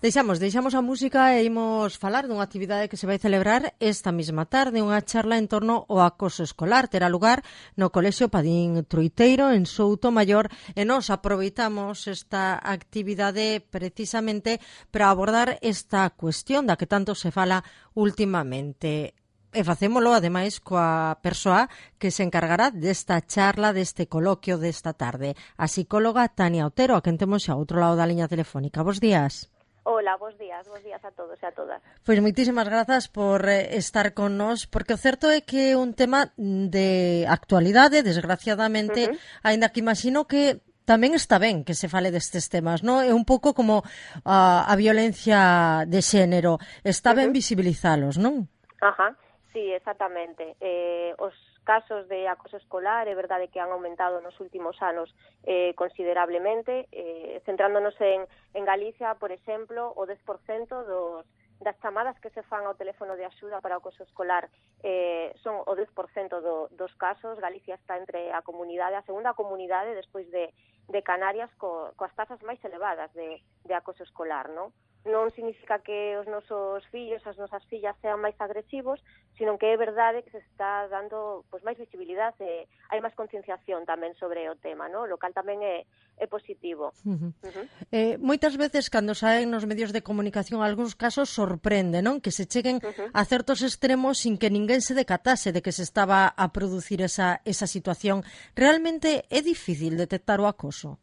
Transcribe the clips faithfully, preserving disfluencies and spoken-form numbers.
Deixamos, deixamos a música e imos falar dunha actividade que se vai celebrar esta mesma tarde, unha charla en torno ao acoso escolar. Terá lugar no Colexio Padín Troiteiro, en Souto Maior, e nos aproveitamos esta actividade precisamente para abordar esta cuestión da que tanto se fala últimamente. E facémolo, ademais, coa persoa que se encargará desta charla, deste coloquio desta tarde, a psicóloga Tania Otero, a quen temos xa ao outro lado da liña telefónica. Bos días. Hola, bos días, bos días a todos e a todas. Pois moitísimas grazas por eh, estar con nós, porque o certo é que é un tema de actualidade, desgraciadamente, uh-huh. aínda que imagino que tamén está ben que se fale destes temas, non? É un pouco como uh, a violencia de xénero, está ben uh-huh. visibilizalos, non? Ajá, sí, exactamente. Eh, os casos de acoso escolar é verdade que han aumentado nos últimos anos eh, considerablemente, eh, centrándonos en, en Galicia, por exemplo, o dez por cento dos, das chamadas que se fan ao teléfono de axuda para o acoso escolar eh, son o dez por cento do, dos casos. Galicia está entre a comunidade, a segunda comunidade despois de, de Canarias co, coas tasas máis elevadas de, de acoso escolar, non? Non significa que os nosos fillos, as nosas fillas sean máis agresivos, sino que é verdade que se está dando pois, máis visibilidade, e hai máis concienciación tamén sobre o tema, ¿no? Lo cal tamén é, é positivo. Uh-huh. Uh-huh. Eh, moitas veces, cando saen nos medios de comunicación, algúns casos sorprende, non? Que se cheguen uh-huh. a certos extremos sin que ninguén se decatase de que se estaba a producir esa, esa situación. Realmente é difícil detectar o acoso?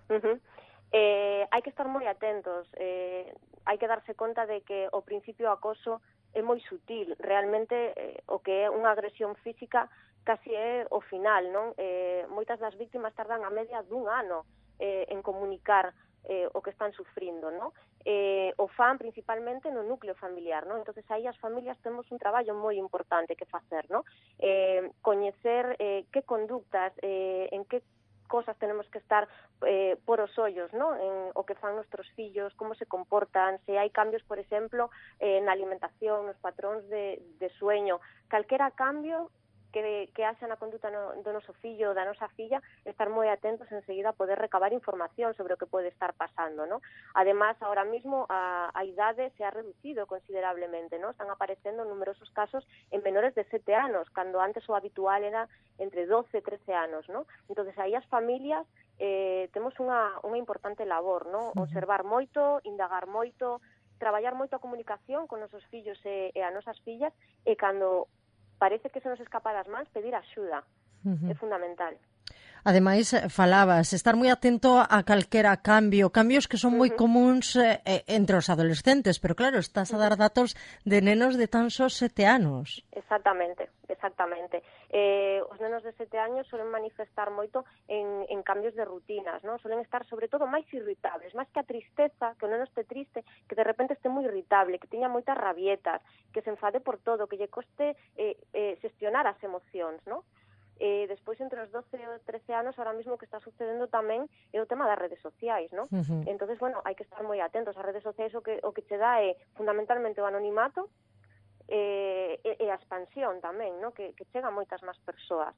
Uh-huh. Eh, hai que estar moi atentos, eh, hai que darse conta de que o principio do acoso é moi sutil, realmente eh, o que é unha agresión física casi é o final, non? Eh, moitas das víctimas tardan a media dun ano eh, en comunicar eh, o que están sufrindo, non? Eh, o fan principalmente no núcleo familiar, non? Entonces aí as familias temos un traballo moi importante que facer, non? Eh, coñecer eh, que conductas, eh, en que cosas tenemos que estar eh, por os ollos, ¿no? En o que fan nuestros fillos, como se comportan, se hai cambios, por exemplo, eh, na alimentación, nos patróns de, de sueño, calquera cambio que, que haxa na conduta no, do noso fillo ou da nosa filla, estar moi atentos enseguida a poder recabar información sobre o que pode estar pasando, ¿no? Además, ahora mismo a, a idade se ha reducido considerablemente, ¿no? Están aparecendo numerosos casos en menores de sete anos, cando antes o habitual era entre doce e trece anos, ¿no? Entonces, aí as familias eh, temos unha, unha importante labor, ¿no? Observar moito, indagar moito, traballar moito a comunicación con nosos fillos e, e a nosas fillas, e cando parece que se nos escapa das mans, pedir axuda. Uh-huh. É fundamental. Ademais, falabas, estar moi atento a calquera cambio, cambios que son moi uh-huh. comuns eh, entre os adolescentes, pero claro, estás a dar datos de nenos de tan só sete anos. Exactamente, exactamente. Eh, os nenos de sete años suelen manifestar moito en, en cambios de rutinas, ¿no? Suelen estar, sobre todo, máis irritables, máis que a tristeza, que o neno este triste, que de repente este moi irritable, que teña moitas rabietas, que se enfade por todo, que lle coste eh, eh, xestionar as emocións, ¿no? Eh, despois, entre os doce e trece anos, ahora mesmo o que está sucedendo tamén é o tema das redes sociais, ¿no? Uh-huh. Entonces, bueno, hai que estar moi atentos. As redes sociais o que, o que che dá é fundamentalmente o anonimato eh, e, e a expansión tamén, ¿no? Que, que chega a moitas máis persoas.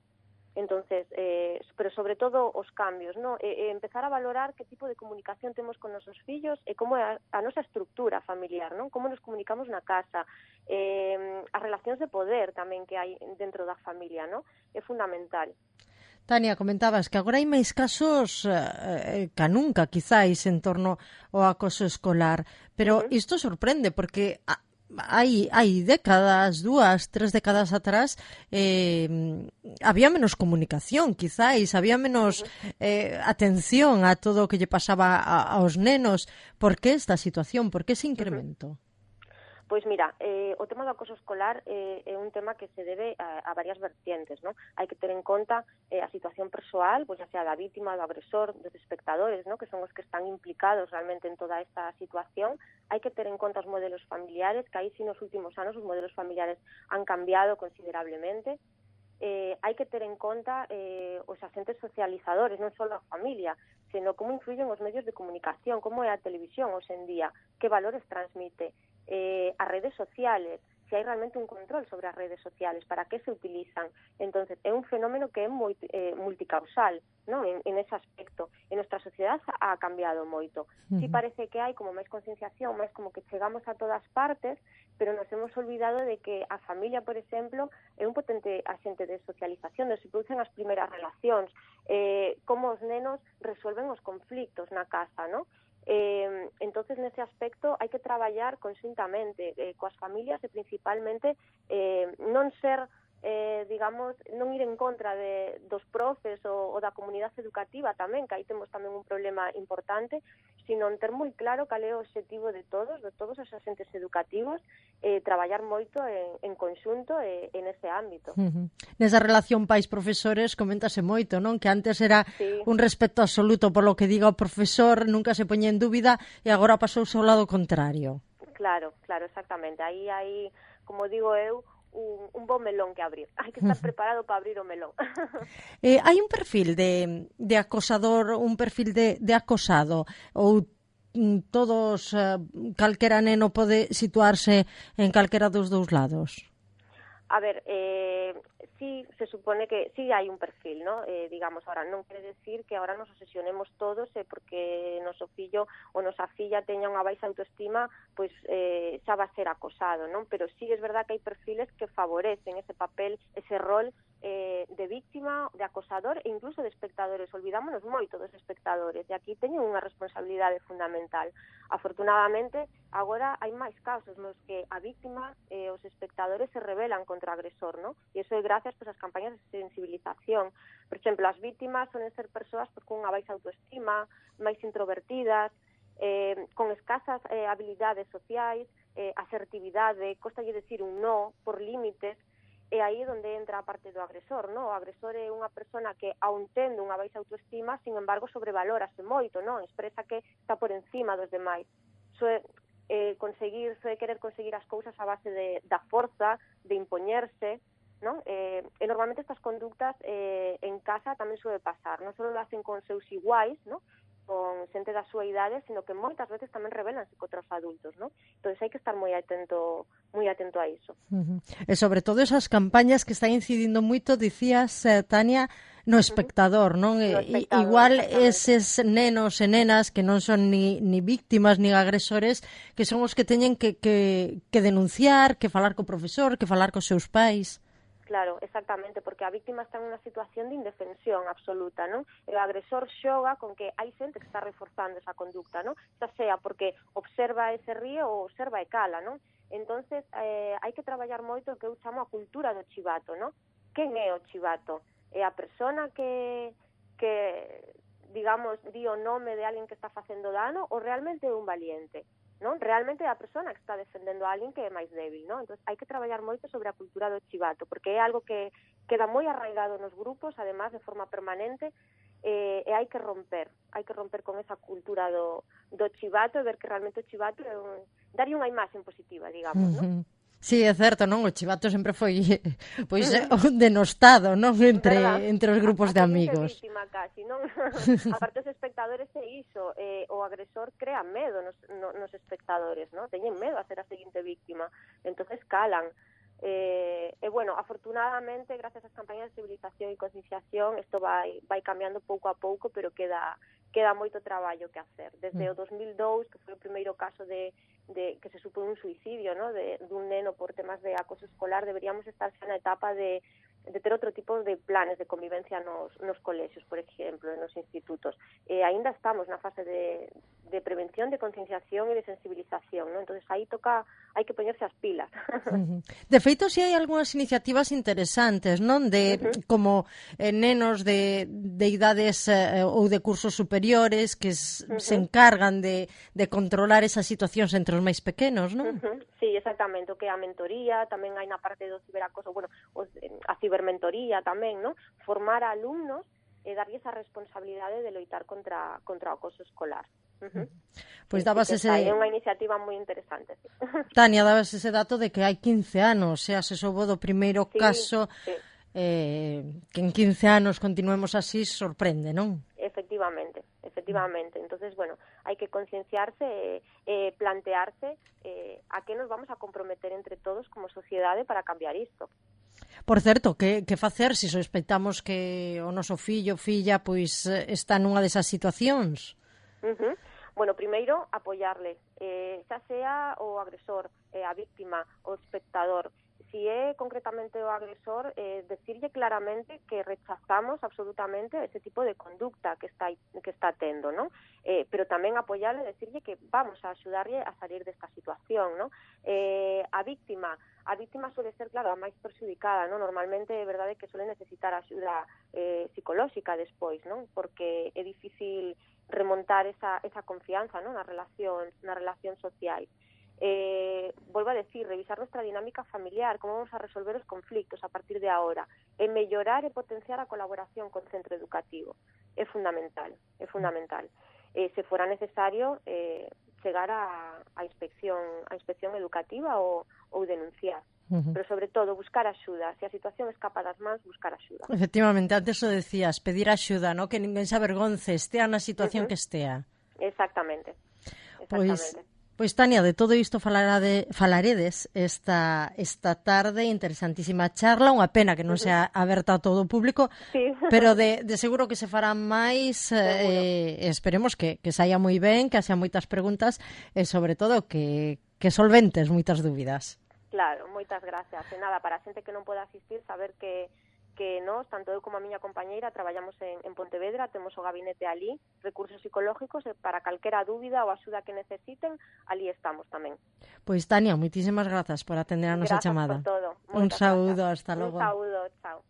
Entonces, eh, pero sobre todo os cambios, ¿no? E, e empezar a valorar que tipo de comunicación temos con nosos fillos e como é a, a nosa estructura familiar, ¿no? Como nos comunicamos na casa, eh, as relacións de poder tamén que hai dentro da familia, ¿no? É fundamental. Tania, comentabas que agora hai máis casos eh, que nunca, quizáis, en torno ao acoso escolar, pero uh-huh. isto sorprende porque a, hai, hai décadas, dúas, tres décadas atrás, eh, había menos comunicación, quizáis, había menos eh, atención a todo o que lle pasaba a, aos nenos. Por que esta situación? Por que ese incremento? Pois mira, eh, o tema do acoso escolar eh, é un tema que se debe a, a varias vertientes, ¿no? Hai que ter en conta eh, a situación persoal, pois xa sea da vítima, do agresor, dos espectadores, ¿no? Que son os que están implicados realmente en toda esta situación. Hai que ter en conta os modelos familiares, que aí sí nos últimos anos os modelos familiares han cambiado considerablemente. Eh, hai que ter en conta eh, os agentes socializadores, non só a familia, sino como influyen os medios de comunicación, como é a televisión hoxe en día, que valores transmite, eh, as redes sociales, se hai realmente un control sobre as redes sociales, para que se utilizan. Entonces, é un fenómeno que é moi, eh, multicausal, ¿no? En, en ese aspecto. En nuestra sociedade ha cambiado moito. Uh-huh. Sí parece que hai como máis concienciación, máis como que chegamos a todas partes, pero nos hemos olvidado de que a familia, por exemplo, é un potente axente de socialización, onde se producen as primeiras relacións, eh, como os nenos resuelven os conflictos na casa, ¿no? Eh, entonces, nese aspecto, hai que traballar conxuntamente eh, coas familias e principalmente eh, non ser, eh, digamos, non ir en contra de, dos profes ou, ou da comunidade educativa tamén, que aí temos tamén un problema importante, sino ter moi claro cal é o objetivo de todos, de todos os agentes educativos, eh, traballar moito en, en conxunto e en ese ámbito. Uh-huh. Nesa relación pais-profesores coméntase moito, non? Que antes era sí. un respeto absoluto por lo que diga o profesor, nunca se poñía en dúbida e agora pasouse ao lado contrario. Claro, claro, exactamente. Aí hai, como digo eu, un, un bom melón que abrir. Hai que estar preparado para abrir o melón. eh, hai un perfil de, de acosador, un perfil de, de acosado, ou todos, uh, calquera neno pode situarse en calquera dos dous lados? A ver, eh, sí se supone que sí hai un perfil, ¿no? Eh, digamos, ahora non quere decir que ahora nos obsesionemos todos eh, porque noso fillo ou nosa filla teña unha baixa autoestima, pois eh, xa va a ser acosado, non? Pero sí es verdad que hai perfiles que favorecen ese papel, ese rol eh, de víctima, de acosador e incluso de espectadores. Olvidámonos moito dos espectadores e aquí teñen unha responsabilidade fundamental. Afortunadamente, agora hai máis casos nos que a víctima e eh, os espectadores se rebelan contra o agresor, ¿no? E iso é gracias pois, ás campañas de sensibilización. Por exemplo, as víctimas sonen ser persoas pois, con unha baixa autoestima, máis introvertidas, eh, con escasas eh, habilidades sociais, eh, asertividade, costalle decir un no por límites. E aí é onde entra a parte do agresor, non? O agresor é unha persona que, aun tendo unha baixa autoestima, sin embargo, sobrevalórase moito, non? Expresa que está por encima dos demais. Soe, eh, conseguir, soe querer conseguir as cousas a base de, da forza, de impoñerse, non? Eh, e normalmente estas conductas eh, en casa tamén soe pasar. Non só lo hacen con seus iguais, non? Con xente da súa idade, sino que moitas veces tamén rebelanse contra os adultos, non? Entón hai que estar moi atento, moi atento a iso. Uh-huh. E sobre todo esas campañas que están incidindo moito, dicías, eh, Tania, no espectador, non? No espectador, igual eses nenos e nenas que non son ni, ni víctimas ni agresores, que son os que teñen que, que, que denunciar, que falar co profesor, que falar cos seus pais. Claro, exactamente, porque a víctima está en unha situación de indefensión absoluta, non? E o agresor xoga con que hai xente que está reforzando esa conducta, non? Xa sea porque observa e se ríe ou observa e cala, non? Entonces, eh, hai que traballar moito o que eu chamo a cultura do chivato, non? Quen é o chivato? É a persona que, que digamos, di o nome de alguén que está facendo dano ou realmente é un valiente? Non? Realmente é a persona que está defendendo a alguén que é máis débil, non? Entón, hai que traballar moito sobre a cultura do chivato, porque é algo que queda moi arraigado nos grupos, además de forma permanente, eh, e hai que romper, hai que romper con esa cultura do, do chivato e ver que realmente o chivato é un, darlle unha imaxe positiva, digamos, non? Sí, é certo, non? O chivato sempre foi pois un denostado, non? Entre, entre os grupos de amigos. Víctima casi, non? Aparte os espectadores é iso, eh, o agresor crea medo nos, no, nos espectadores, non? Teñen medo a ser a seguinte víctima, entonces calan. Eh, e, bueno, afortunadamente, gracias ás campañas de civilización e concienciación, isto vai, vai cambiando pouco a pouco, pero queda, queda moito traballo que hacer. Desde o dos mil dous, que foi o primeiro caso de, de que se supón un suicidio, ¿no? de, de un neno por temas de acoso escolar, deberíamos estar xa na etapa de, de ter outro tipo de planes de convivencia nos, nos colexios, por exemplo, nos institutos. E aínda estamos na fase de, de prevención, de concienciación e de sensibilización, ¿no? Entonces aí toca, hai que poñerse as pilas. Uh-huh. De feito, si hai algunhas iniciativas interesantes, non? De uh-huh. como eh, nenos de, de idades eh, ou de cursos superiores que s- uh-huh. se encargan de, de controlar esas situacións entre os máis pequenos, non? Uh-huh. Sí, exactamente, o que é a mentoría, tamén hai na parte do ciberacoso, bueno, os, a cibermentoría tamén, ¿no? Formar a alumnos e darlle esa responsabilidade de loitar contra, contra o acoso escolar. Uh-huh. Pois sí, dabas sí, ese... É unha iniciativa moi interesante, sí. Tania, dabas ese dato de que hai quince anos, xa se soubo do primeiro sí, caso, sí. Eh, que en quince anos continuemos así, sorprende, non? Efectivamente, efectivamente. efectivamente. Entonces, bueno, hai que concienciarse e eh, eh, plantearse eh, a que nos vamos a comprometer entre todos como sociedade para cambiar isto. Por certo, que, que facer se sospeitamos que o noso fillo, filla, pois está nunha desas situacións? Uh-huh. Bueno, primeiro, apoiarle, eh, xa sea o agresor, eh, a víctima, o espectador. Si é concretamente o agresor, eh, decirlle claramente que rechazamos absolutamente ese tipo de conducta que está que está tendo, ¿no? Eh, pero tamén apoiarle, decirlle que vamos a axudarlle a salir desta situación, ¿no? Eh, a víctima, a víctima suele ser, claro, a máis perxudicada, ¿no? Normalmente é verdade que suele necesitar axuda eh, psicolóxica despois, ¿no? Porque é difícil remontar esa, esa confianza, ¿no? na relación, na relación social. Eh, vuelvo a decir, revisar nuestra dinámica familiar, cómo vamos a resolver os conflictos a partir de ahora, e mellorar e potenciar a colaboración con centro educativo. É fundamental, é fundamental. Eh, se fora necesario, eh, chegar a, a inspección a inspección educativa ou, ou denunciar. Uh-huh. Pero, sobre todo, buscar axuda. Se a situación escapa das mans, buscar axuda. Efectivamente, antes o decías, pedir axuda, ¿no? Que ninguén se avergonce, estea na situación uh-huh. que estea. Exactamente. Pois, Exactamente. pois Tania, de todo isto falarade, falaredes esta, esta tarde, interesantísima charla, unha pena que non sea aberta a todo o público, sí. pero de, de seguro que se farán máis, eh, esperemos que, que saia moi ben, que haxa moitas preguntas e, sobre todo, que, que solventes moitas dúbidas. Claro, moitas gracias. E nada, para a xente que non poda asistir, saber que que nós, tanto eu como a miña compañeira, traballamos en, en Pontevedra, temos o gabinete ali, recursos psicológicos, e para calquera dúbida ou axuda que necesiten, ali estamos tamén. Pois, Tania, moitísimas grazas por atender a nosa Grazas chamada. Por todo. Un saúdo, gracias. hasta logo. Un saúdo, chao.